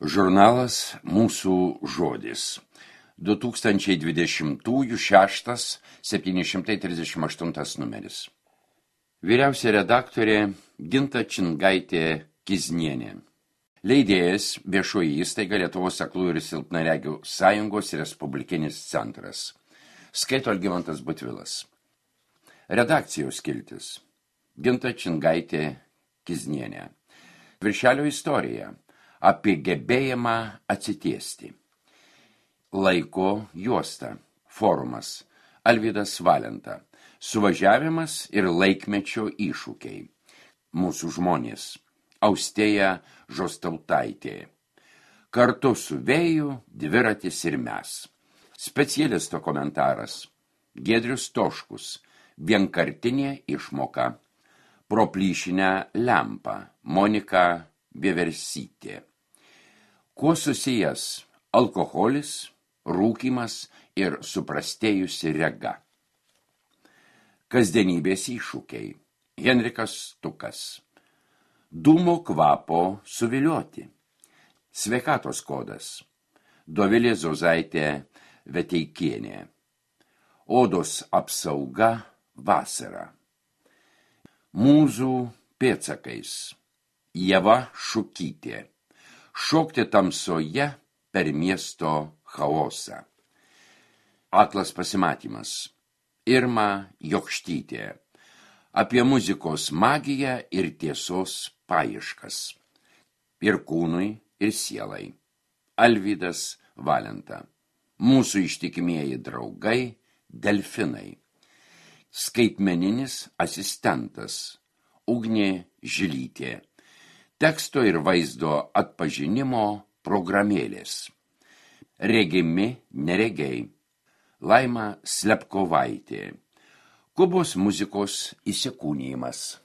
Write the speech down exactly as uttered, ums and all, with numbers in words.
Žurnalas Mūsų žodis. du tūkstančiai dvidešimtųjų šeštas septyni šimtai trisdešimt aštuntas numeris. Vyriausia redaktorė Ginta Čingaitė Kiznienė. Leidėjas Viešoji įstaiga Lietuvos aklųjų ir silpnaregių sąjungos Respublikinis centras. Skaito Algimantas Butvilas. Redakcijos skiltis. Ginta Čingaitė Kiznienė. Viršelio istorija. Apie gebėjimą atsitiesti. Laiko juosta. Forumas. Alvydas Valenta. Suvažiavimas ir laikmečio iššūkiai. Mūsų žmonės. Austėja Žostautaitė. Kartu su vėju, dviratis ir mes. Specialisto komentaras. Giedrius Toškus. Vienkartinė išmoka. Pro plyšinę lempą. Monika Vieversytė. Kuo susijęs alkoholis, rūkymas ir suprastėjusi rega. Kasdienybės iššūkiai. Henrikas Stukas. Dūmo kvapo suvilioti. Sveikatos kodas. Dovilė Zozaitė Veteikienė. Odos apsauga vasara. Mūzų pėdsakais. Ieva Šukytė. Šokti tamsoje per miesto chaosą. Aklas pasimatymas. Irma Jokštytė. Apie muzikos magiją ir tiesos paieškas. Ir kūnui, ir sielai. Alvydas Valenta. Mūsų ištikimieji draugai, delfinai. Skaitmeninis asistentas. Ugnė Žilytė. Teksto ir vaizdo atpažinimo programėlės. Regimi neregiai. Laima Slepkovaitė. Kubos muzikos įsikūnijimas.